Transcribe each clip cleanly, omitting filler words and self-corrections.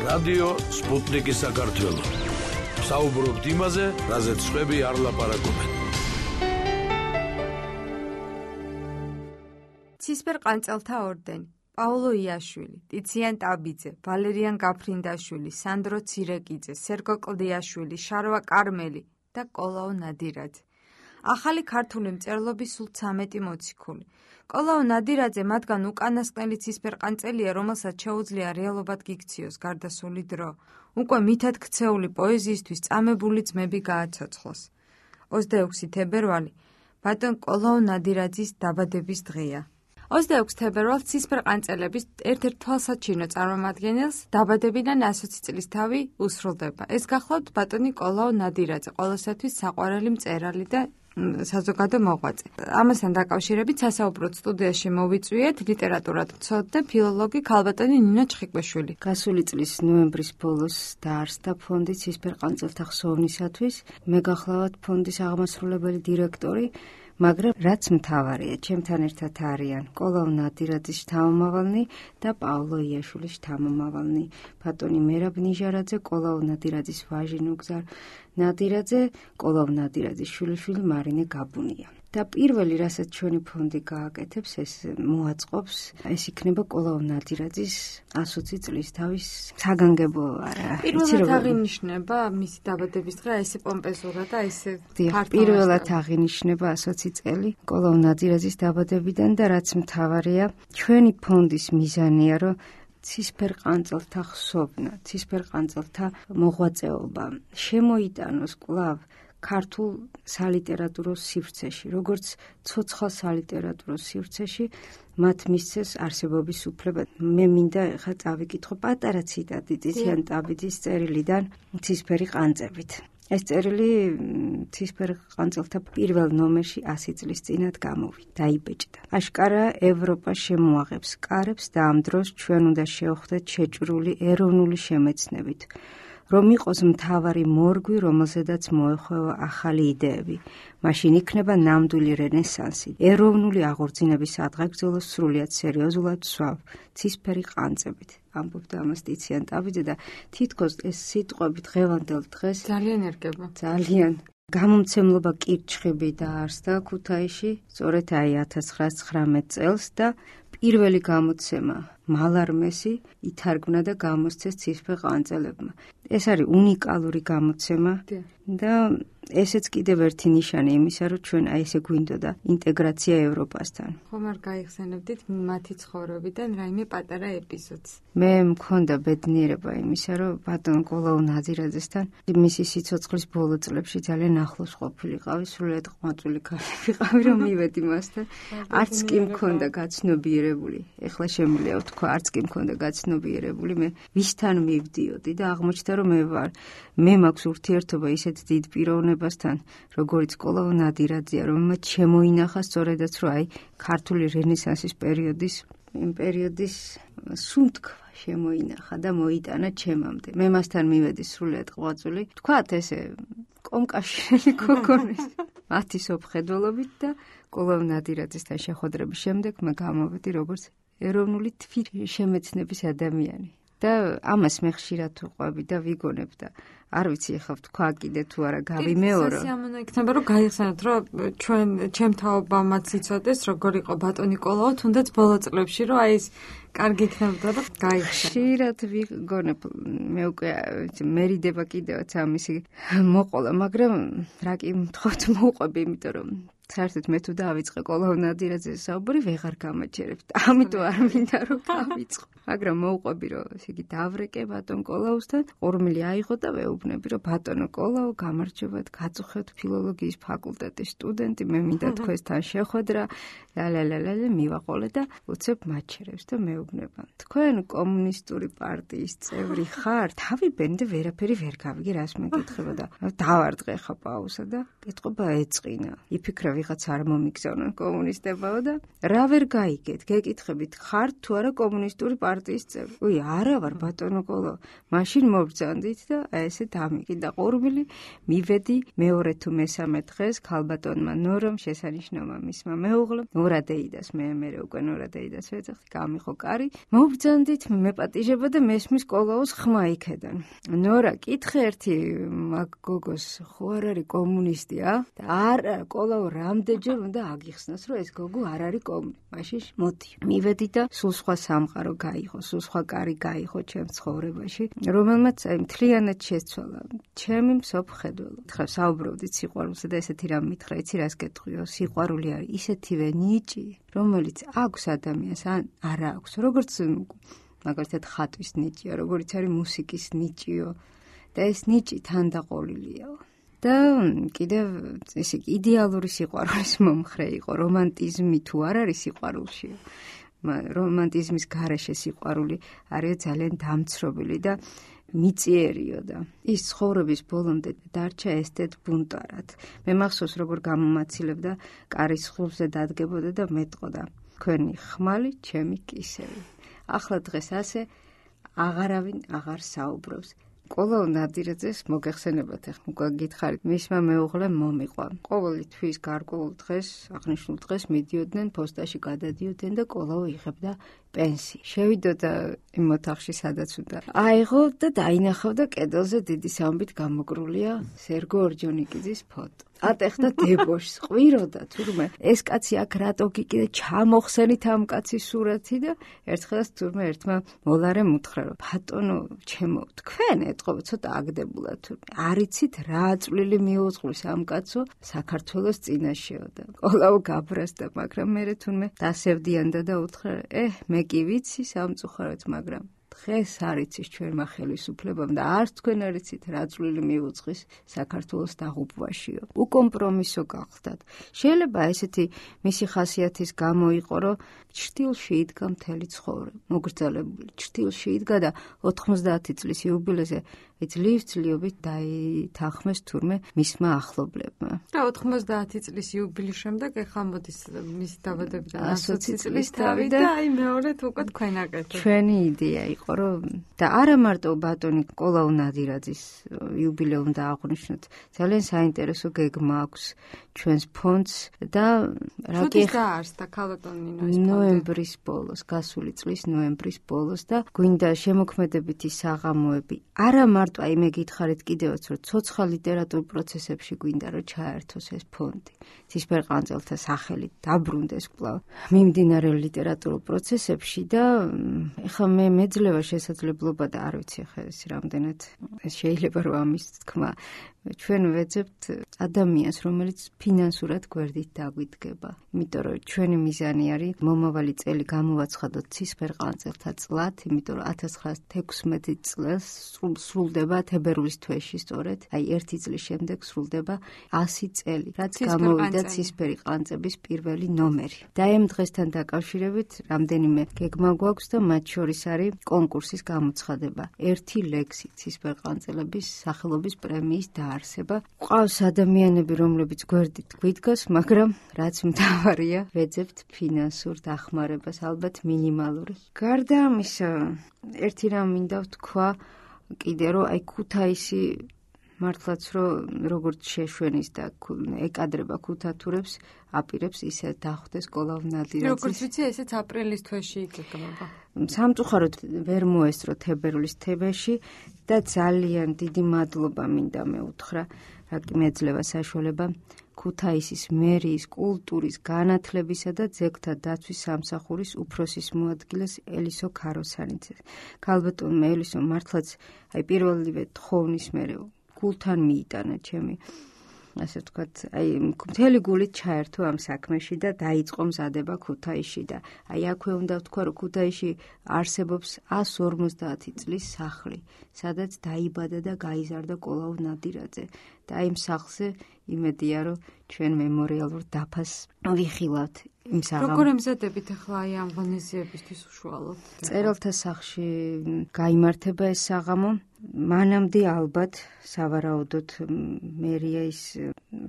რადიო სპუტნიკი საქართველო. საუბრობთ იმაზე, რაზეც სხვები არ ლაპარაკობენ. ცისფერყანწელთა ორდენი. პაულო იაშვილი, ტიციან ტაბიძე, ვალერიან გაფრინდაშვილი, სანდრო ცირეკიძე, სერგო კლდიაშვილი, შარვა კარმელი და კოლაო ნადირაძე. ახალი ქართული მწერლობის სულ 13 მოციქული. კოლაო ნადირაძე მათგან უკანასკნელი ცისფერყანწელია, რომელსაც შეუძლია რეალობად გიქციოს გარდასული დრო. უკვე მითად ქცეული პოეზიისთვის წამებული ძმები გააცოცხლოს. 26 თებერვალი ბატონ კოლაო ნადირაძის დაბადების დღეა. 26 თებერვალს ცისფერყანწელების ერთ-ერთ თვალსაჩინო წარმომადგენელს დაბადებიდან 120 წლის თავი უსრულდება. ეს გახლავთ ბატონი კოლაო ნადირაძე, ყოველსათვის საყვარელი მწერალი და საზოგადო მოღვაწე. ამასთან დაკავშირებით სასაუბროდ სტუდიაში მოვიწვიეთ ლიტერატურად მცოდნე ფილოლოგი ქალბატონი ნინო ჩხიკვეშვილი. გასული წლის ნოემბრის ბოლოს დაარსდა ფონდი ცისფერყანწელთა ხსოვნისათვის. მე გახლავთ ფონდის აღმასრულებელი დირექტორი, მაგრამ რაც მთავარია, ჩემთან ერთად არიან კოლაო ნადირაძის შთამომავალნი და პაულო იაშვილის შთამომავალნი, ბატონი მერაბ ნიჟარაძე, კოლაო ნადირაძის ვაჟი ნუგზარ ნადირაძე, კოლაო ნადირაძის შვილიშვილი მარინე გაბუნია. და პირველი, რასაც ჩვენი ფონდი გააკეთებს, ეს მოაწყობს, ეს იქნება კოლაო ნადირაძის 120 წლის თავის საგანგებო პირველად აღინიშნება მისი დაბადების დღე, ესე პომპეზურად და ესე პირველად აღინიშნება 120 წელი კოლაო ნადირაძის დაბადებიდან და რაც მთავარია, ჩვენი ფონდის მიზანია, რომ ცისფერყანწელთა ხსოვნა, ცისფერყანწელთა მოღვაწეობა შემოიტანოს კვლავ ქართულ სალიტერატურო სივრცეში, როგორც ცოცხალ სალიტერატურო სივრცეში, მათ მისცეს არსებობის უფლება. მე მინდა ხა წავიკითხო პატარა ციტატი ტიციან ტაბიძის წერილიდან ცისფერი ყანწებით. ეს წერილი ცისფერყანწელთა პირველ ნომერში 100 წლის წინათ გამოვიდა, დაიბეჭდა. აშკარა ევროპა შემოაღებს კარებს და ამ დროს ჩვენ უნდა შევხვდეთ შეჭრული ეროვნული შემეცნებით, რომ იყოს მთავარი მორგვი, რომელზედაც მოეხვევა ახალი იდეები. მაშინ იქნება ნამდვილი რენესანსი. ეროვნული აღორძინების ადღეგრძელოს სრულიად სერიოზულად ვსვავ ცისფერი ყანწებით. ამბობდა ამას ტიციან ტაბიძე და თითქოს ეს სიტყვები დღევანდელ დღეს ძალიან ერგება. ძალიან. გამომცემლობა კირჩხიბი დაარსდა ქუთაისში, სწორედ 1919 წელს და პირველი გამოცემა მალარმესი ითარგმნა და გამოსცეს ცისფერყანწელებმა. ეს არის უნიკალური გამოცემა და ესეც კიდევ ერთი ნიშანი იმისა, რომ ჩვენ აი ესე გვინდოდა ინტეგრაცია ევროპასთან. ხომ არ გაიხსენებდით მათი ცხოვრებიდან რაიმე პატარა ეპიზოდს? მე მქონდა ბედნიერება იმისა, რომ ბატონ კოლაო ნადირაძესთან მისი სიცოცხლის ბოლო წლებში ძალიან ახლოს ყოფილიყავი, სრულიად ყვაწული ქალი ვიყავი, რომ მივედი მასთან. არც კი მქონდა გაცნობიერებული. ეხლა შემიძლია ვთქვა, არც კი მქონდა გაცნობიერებული. მე ვისთან მივდიოდი და აღმოჩნდა, რომ მე მაქვს ურთიერთობა ისეთ დიდ პიროვნებასთან, როგორც კოლაო ნადირაძეა, რომელმაც შემოინახა სწორედაც, რომ აი ქართული რენესანსის პერიოდის სუნთქვა შემოინახა და მოიტანა ჩემამდე. მე მასთან მივედი სრულიად ყვაწული. თქვათ ესე კომკავშირელი გოგონის მათი სოფხედველობით და კოლაო ნადირაძესთან შეხვედრების შემდეგ მე გამოვედი როგორც ეროვნული თვითშემეცნების ადამიანი. და ამას მე ხშირად ვყვები და ვიგონებ და არ ვიცი ახლა ვთქვა კიდე თუ არა გავიმეორო. სასიამოვნო იქნება რომ გაიხსენოთ, რომ ჩემ თაობამაც იცოდეს როგორ იყო ბატონი კოლაო, თუნდაც ბოლო წლებში, რომ აი ეს კარგი იქნებოდა რომ გაიხსენოთ. ხშირად ვიგონებ, მე უკვე მერიდება კიდევაც ამისი მოყოლა, მაგრამ რა კი მთხოვთ მოვყვები, იმიტომ რომ საერთოდ მე თუ დავიწყე კოლაო ნადირაძეს საუბარი ვეღარ გამაჩერებთ. ამიტომ არ მინდა რომ გავიწყო. მაგრამ მოვყვები რომ ესე იგი დავრეკე ბატონ კოლაოსთან, ყურმილი აიღო და ვეუბნები რომ ბატონო კოლაო, გამარჯობათ, გაწუხეთ ფილოლოგიის ფაკულტეტის სტუდენტი, მე მინდა თქვენთან შეხვედრა, ლალალალალე მივაყოლე და უცებ მაჩერებს და მეუბნება. თქვენ კომუნისტური პარტიის წევრი ხარ? თავი ბენდე ვერაფერი ვერ გავიგე, რას მეკითხება და დავარდყე ხა პაუზა და კითხობა ეწყინა. იფიქრე ვიღაც არ მომიგზავნონ კომუნისტებაო და რა ვერ გაიგეთ, გეკითხებით, ხართ თუ არა კომუნისტური პარტიის წევრი? უი, არა ვარ ბატონო კოლო. მაშინ მობრძანდით და ესე დამიკიდა ყურბილი, მივედი მეორე თუ მესამე დღეს ქალბატონმა ნორომ შესანიშნავმა მისმა მეუღლემ ნორადეიდას მე უკვე ნორადეიდას ვეძახდი, გამიხო კარი, მობრძანდით, მეპატიჟება და მესმის კოლოოს ხმა იქედან. ნორა, კითხე ერთი მაგ გოგოს, ხო არ არის კომუნისტი, და არა, კოლაო რამდენჯერ უნდა აგიხსნას, რომ ეს გოგო არ არის კომუნისტი. მაშინ მოდი, მივედი და სულ სხვა სამყარო გაიღო, სულ სხვა კარი გაიღო ჩემს ცხოვრებაში, რომელმაც აი მთლიანად შეცვალა ჩემი მსოფლმხედველო. ხა საუბრობდით სიყვარულზე და ესეთი რამ მითხრა, იცი რას გეტყვიო? სიყვარული არის ისეთივე ნიჭი, რომელიც აქვს ადამიანს, ან არა აქვს, როგორც მაგალითად ხატვის ნიჭია, როგორც არის მუსიკის ნიჭიო და ეს ნიჭი თანდაყოლილია. და კიდევ ესე იდეალური სიყვარულის მომხრე იყო, რომანტიზმი თუ არ არის სიყვარულში. რომანტიზმის გარეშე სიყვარული არის ძალიან დამცრობილი და მიწიერიო და ის ცხოვრების ბოლომდე დარჩა ესეთ ბუნტარად. მე მახსოვს როგორ გამომაცილებდა კარის ხულზე დადგებოდა და მეტყოდა თქვენი ხმალი ჩემი კისერი. ახლა დღეს ასე აღარავინ აღარ საუბრობს. კოლო ნადირაძეს მოგეხსენებათ, ახლა უკვე გითხარით, მისმა მეუღლემ მომიყვა. ყოველი თვის გარკვეულ დღეს, აღნიშნულ დღეს მიდიოდნენ პოსტაში, გადადიოდნენ და კოლო იღებდა პენსი. შევიდოდა იმ ოთახში, სადაც უნდა აიღო და დაინახავდა კედელზე დიდი სამბით გამოკრულია სერგო ორჯონიკიძის ფოტო. ატეხდა დებოშს, ყვიროდა თურმე ეს კაცი აქ რატო გიკიდე ჩამოხსენით ამ კაცის სურათი და ერთხელაც თურმე ერთმა მოლარემ უთხრა რომ ბატონო ჩემო თქვენ ეთყობა ცოტა აგდებულად თურმე არიცით რა წვლილი მიუძღვის ამ კაცო საქართველოს წინაშეო და კოლაო გაბრასდა მაგრამ მე თურმე დასევდიანდა და უთხრა მე კი ვიცი სამწუხაროდ მაგრამ დღეს არიცის ჩვენმა ხელისუფლებამ და არც თქვენ არიცით რა წვლილი მიუძღვის საქართველოს დაღუპვაშიო. უკომპრომისო გახდათ. შეიძლება ესეთი მისი ხასიათის გამო იყო, რომ ჩრდილში იდგა მთელი ცხოვრება. მოგრძალებული ჩრდილში იდგა და 90 წლის იუბილეზე ძლივ-ძლივობით დაითანხმეს თურმე მისმა ახლობლებმა. და 90 წლის იუბილეის შემდეგ ეხლა მოდის მისი დაბადებიდან 120 წლის თავი და აი მეორედ უკვე თქვენ აკეთებთ. ჩვენი იდეა იყო რომ და არა მარტო ბატონი კოლაუ ნადირაძის იუბილეა უნდა აღვნიშნოთ. ძალიან საინტერესო გეგმა აქვს ჩვენს ფონდს და როდის დაარსდა ქალბატონი ნოემბრის ბოლოს, გასული წლის ნოემბრის ბოლოს და გვინდა შემოქმედებითი საღამოები. არა მარტო აი მე გითხარით კიდევაც რომ ცოცხალ ლიტერატურულ პროცესებში გვინდა რომ ჩაერთოს ეს ფონდი. ცისფერყანწელთა სახელით დაბრუნდეს კვლავ მიმდინარე ლიტერატურულ პროცესებში და ეხლა მე მეძლევა შესაძლებლობა და არ ვიცი ახლა ეს რამდენად შეიძლება რომ ამის თქმა ჩვენ ვეძებთ ადამიანს, რომელიც ფინანსურად გვერდით დაგვიდგება. იმიტომ რომ ჩვენი მიზანი არის მომავალი წელი გამოვაცხადოთ ცისფერყანწელთა წლად, იმიტომ რომ 1916 წელს სრულდება თებერვლის თვეში სწორედ, აი 1 წლის შემდეგ სრულდება 100 წელი, რაც გამოვიდა ცისფერი ყანწების პირველი ნომერი. და ამ დღესთან დაკავშირებით რამდენიმე გეგმა გვაქვს და მათ შორის არის კონკურსის გამოცხადება. 1 ლექსი ცისფერყანწელების სახელობის პრემიის არსება. ყავს ადამიანები, რომლებიც გვერდით გვიდგას, მაგრამ რაც მთავარია, ვეძებთ ფინანსურ დახმარებას, ალბათ მინიმალური. გარდა ამისა, ერთი რამ მინდა ვთქვა, კიდე რომ აი ქუთაისი მართლაც რომ როგორც შეშვენის და ეკადრება ქუთათურებს, აპირებს ისე დახვდეს კოლაუ ნადირაძის. როგორც ვიცი, ესეც აპრილის თვეში იგეგმება. სამწუხაროდ ვერ მოესწრო თებერვლის თებერში და ძალიან დიდი მადლობა მინდა მეუთხრა, რა კი მეძლევა საშუალება ქუთაისის მერიის კულტურის, განათლებისა და ძეგლთა დაცვის სამსახურის უფროსის მოადგილეს ელისო ქაროსანიძეს. ქალბატონმა ელისო მართლაც აი პირველივე თხოვნის მერე გულთან მიიტანა ჩემი ასე ვთქვათ, აი მთელი გულით ჩაერთო ამ საქმეში და დაიწყო მზადება ქუთაისში და აი აქვე უნდა ვთქვა, რომ ქუთაისში არსებობს 150 წლის სახლი, სადაც დაიბადა და გაიზარდა კოლაუ ნადირაძე და იმ სახლზე იმედია რომ ჩვენ მემორიალურ დაფას ვიხილავთ იმ საღამოს. როგორ ემზადებით ახლა აი ამ ღონისძიებისთვის უშუალოდ? წერილთა სახლში გაიმართება ეს საღამო. მანამდე ალბათ სავარაუდოდ მერია ის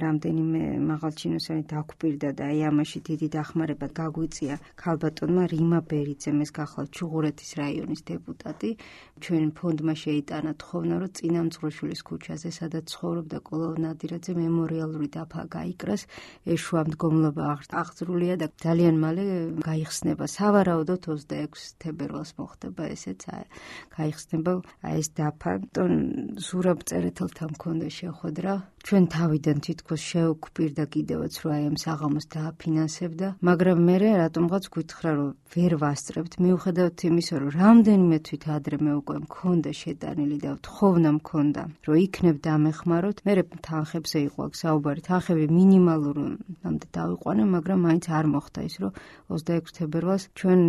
რამდენიმე მაღალჩინოსანი დაგვპირდა და აი ამაში დიდი დახმარება გაგვიწია ქალბატონმა რიმა ბერიძემ, ეს გახლავთ ჩუღურეთის რაიონის დეპუტატი. ჩვენ ფონდმა შეიტანა თხოვნა, რომ წინამძღვრიშვილის ქუჩაზე, სადაც ცხოვრობდა კოლო ნადირაძე, მემორიალური დაფა გაიკრას. ეს შუამდგომლობა აღძრულია და ძალიან მალე გაიხსნება. სავარაუდოდ 26 თებერვალს მოხდება ესეც, გაიხსნება ეს დაფა. ზურაბ წერეთელთან მქონდა შეხვედრა. ჩვენ თავიდან თითქოს შევგვპირდა კიდევაც, რომ აი ამ საღამოს დააფინანსებდა, მაგრამ მე რატომღაც გითხრა, რომ ვერ ვასწრებთ, მიუხედავად იმისა, რომ რამდენიმე თვით ადრე მე უკვე მქონდა შეტანილი და თხოვნა მქონდა, რომ იქნებ დამეხმაროთ. მე თანხებზე იყო აქ საუბარი, თანხები მინიმალურამდე დავიყვანე, მაგრამ მაინც არ მოხდა ის, რომ 26 თებერვალს ჩვენ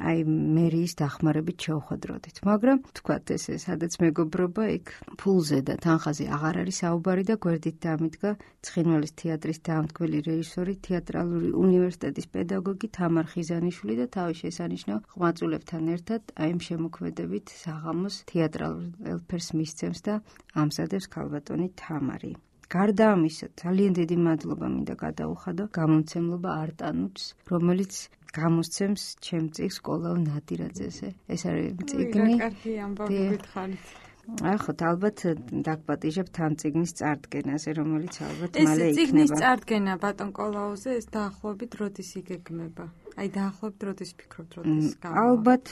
აი მერიის დახმარებით შევხვედროდით. მაგრამ თქვათ ესე, სადაც მეგობრობა იქ ფულზე და თანხაზე აღარ არის საუბარი და გვერდით დამიდგა ცხინვალის თეატრის დაამტკბელი რეჟისორი, თეატრალური უნივერსიტეტის პედაგოგი თამარ ხიზანიშვილი და თავის შესანიშნავ ხმაწულებთან ერთად აი ამ შემოქმედებით საღამოს თეატრალურ ელფერს მისცემს და ამზადებს ქალბატონი თამარი. გარდა ამისა, ძალიან დიდი მადლობა მინდა გადაუხადო გამომცემლობა არტანუც, რომელიც გამოსცემს ჩემ წიგნს კოლო ნადირაძეზე. ეს არის წიგნი. კარგი ამბავი გითხარით. ახოთ ალბათ დაგპატიჟებთ ამ წიგნის წარდგენაზე, რომელიც ალბათ მალე იქნება. ეს წიგნის წარდგენა ბატონ კოლაუზე ეს დაახლოებით როდის იგეგმება? აი დაახლოებით როდის ფიქრობთ, როდის გავა? ალბათ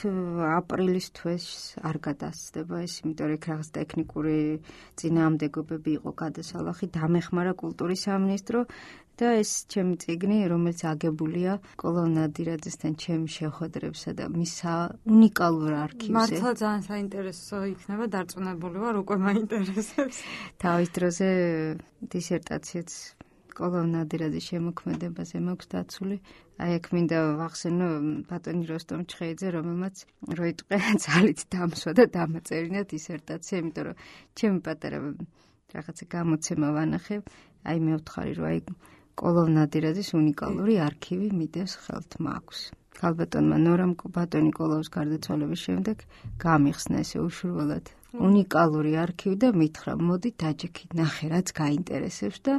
აპრილის თვეს არ გადასცდება ეს, იმიტომ რომ რაღაც ტექნიკური წინააღმდეგობები იყო გადასალახი, დამეხმარა კულტურის სამინისტრო და ეს ჩემი წიგნი, რომელიც აგებულია კოლო ნადირაძესთან ჩემი შეხვედრებსა და მის უნიკალურ არქივზე. მართლა ძალიან საინტერესო იქნება, დარწმუნებული ვარ, უკვე მაინტერესებს. თავის დროზე დისერტაციაც კოლო ნადირაძის შემოქმედებაზე მაქვს დაცული. აი აქ მინდა ვახსენო ბატონი როსტომ ჩხეიძე, რომელმაც როიტყვე ძალით დამსვა და დამაწერინა დისერტაცია, იმიტომ რომ ჩემი პატარა რაღაცა გამოცემა ვანახებ, აი მე ვთხარი, რომ აი კოლო ნადირაძის უნიკალური არქივი მიდევს ხელთ მაქვს. ქალბატონმა ნორამ ბატონი კოლოვის გარდაცვალების შემდეგ გამიხსნა ესე უშურველად უნიკალური არქივი და მითხრა, მოდი დაჯექი, ნახე რაც გაინტერესებს და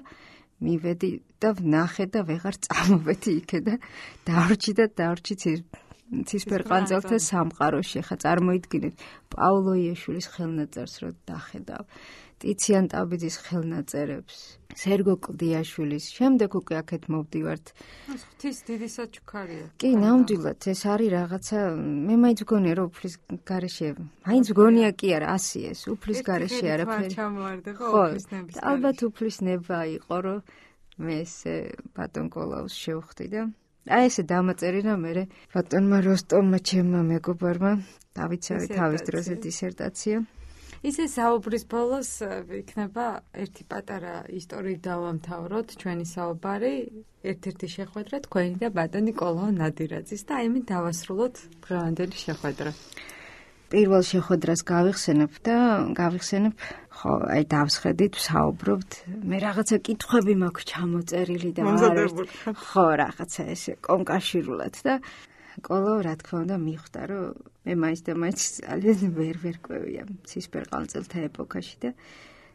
მივედი და ვნახე და ვეღარ წამოვედი იქე და დავრჩი ცისფერყანწელთა სამყაროში. ხა წარმოიდგინეთ პაულო იაშვილის ხელნაწერს რო დახედავ, ტიციან ტაბიძის ხელნაწერებს, სერგო კლდიაშვილის, შემდეგ უკვე აქეთ მოვდივართ. ღვთის დიდი საჩუქარია. კი, ნამდვილად ეს არის რაღაცა, მე მაინც მგონია რომ უფლის გარეშე, მაინც მგონია კი არა, ასიეს, უფლის გარეშე არაფერი. ხო, ალბათ უფლის ნება იყო, რომ მე ესე ბატონ კოლაუს შევხვდი და აი ესე დამაწერინა მე ბატონმა როსტომმა ჩემმა მეგობარმა დავიცავი თავის დროზე დისერტაცია. ისე საუბრის ბოლოს იქნება ერთი პატარა ისტორიით დავამთავროთ ჩვენი საუბარი, ერთ-ერთი შეხვედრა თქვენი და ბატონი კოლო ნადირაძის და აი მე დავასრულოთ დღევანდელი შეხვედრა. პირველ შეხვედრას გავიხსენებ და ხო, აი დავსხედით, ვსაუბრობთ. მე რაღაცა კითხვები მაქვს ჩამოწერილი და ხო, რაღაცა ესე კონკავშირულად და კოლო რა თქმა უნდა მიხვდა, რომ მე მაინც ძალიან ვერ ყვევია ცისფერყანწელთა ეპოქაში და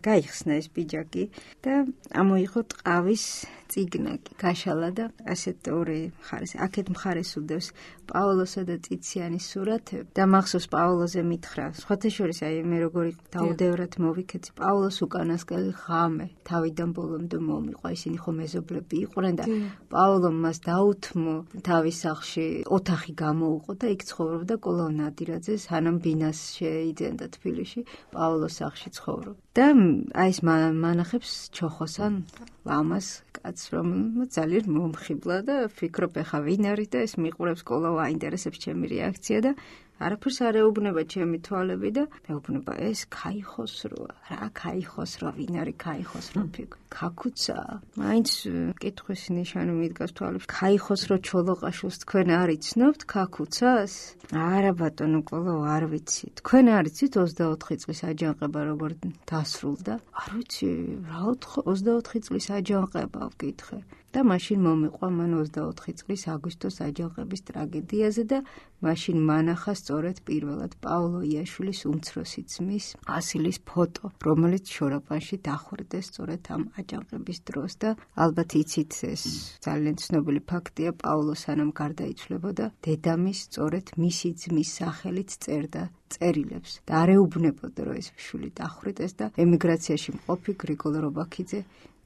გაიხსნა ეს ბიჯაკი და ამოიღო ტყავის წიგნაკი, გაშალა და ასეთ ორი მხარეს, აქეთ მხარეს უდევს პაოლოსა და ტიციანის სურათები და მახსოვს პაოლოზე მითხრა, სხვათა შორის აი მე როგორი დაუდევრად მოვიქეცი, პაოლოს უკანასკნელი ღამე თავიდან ბოლომდე მომიყვა, ისინი ხო მეზობლები იყვნენ და პაოლომ მას დაუთმო თავის სახლში ოთახი გამოუყო და იქ ცხოვრობდა კოლო ნადირაძე, სანამ ბინას შეიძენდა თბილისში, პაოლოს სახლში ცხოვრობდა. და აი ეს მანახებს ჩოხოსან ლამას კაცს, რომელმაც ძალიან მომხიბლა და ფიქრობ, ეხა ვინ არის და ეს მიყურებს კოლო აინტერესებს ჩემი რეაქცია და არაფერს არ ეუბნება ჩემი თვალები და მეუბნება ეს ქაიხოსროა, რა ქაიხოსრო, ვინ არის ქაიხოსრო ფიქ? ქაქუცა. მაინც კითხვის ნიშანი მიდგას თვალებს. ქაიხოსრო ჩოლოყაშვილს თქვენ არ იცნობთ ქაქუცას? არა ბატონო კოლო, არ ვიცი. თქვენ არ იცით 24 წლის აჯანყება როგორ დასრულდა? არ ვიცი, რა 24 წლის აჯანყება ვკითხე. და მაშინ მომიყვა მან 24 წლის აგვისტოს აჯანყების ტრაგედიაზე და მაშინ მანახა სწორედ პირველად პაოლო იაშვილის უმცროსი ძმის ასილის ფოტო, რომელიც შორაპანში დახვრიტეს სწორედ ამ აჯანყების დროს და ალბათ იცით ეს ძალიან ცნობილი ფაქტია, პაოლო სანამ გარდაიცვლებოდა, დედამის სწორედ მისი ძმის სახელით წერდა წერილებს და არ ეუბნებოდა, რომ ეს შვილი დახვრიტეს და ემიგრაციაში მყოფი გრიგოლ რობაქიძე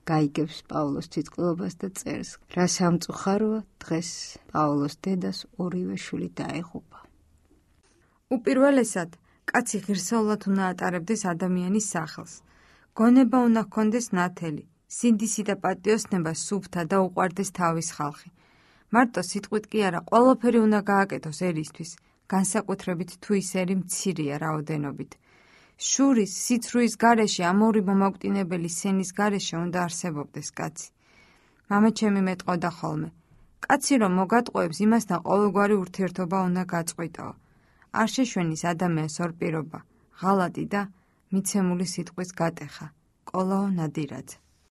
გაიგებს პაოლოს თვითმკვლელობას და წერს. რა სამწუხაროა, დღეს პაოლოს დედას ორივე შვილი დაეღუპა. უპირველესად, კაცი ღირსეულად უნდა ატარებდეს ადამიანის სახელს. გონება უნდა ჰქონდეს ნათელი, სინდისი და პატიოსნება სუფთა და უყვარდეს თავის ხალხი. მარტო სიტყვით კი არა, ყველაფერი უნდა გააკეთოს ერისთვის, განსაკუთრებით თუ ის ერი მცირეა რაოდენობით. შურის, სიცრუის გარეშე, ამ ორი მომაკვდინებელი სენის გარეშე უნდა არსებობდეს კაცი. მამაჩემი მეტყოდა ხოლმე. კაცი რომ მოგატყუებს, იმასთან ყოველგვარი ურთიერთობა უნდა გაწყვიტაო. არ შეშვენის ადამიანს ორ პირობა, ღალატი და მიცემული სიტყვის გატეხა. კოლაო ნადირაძე.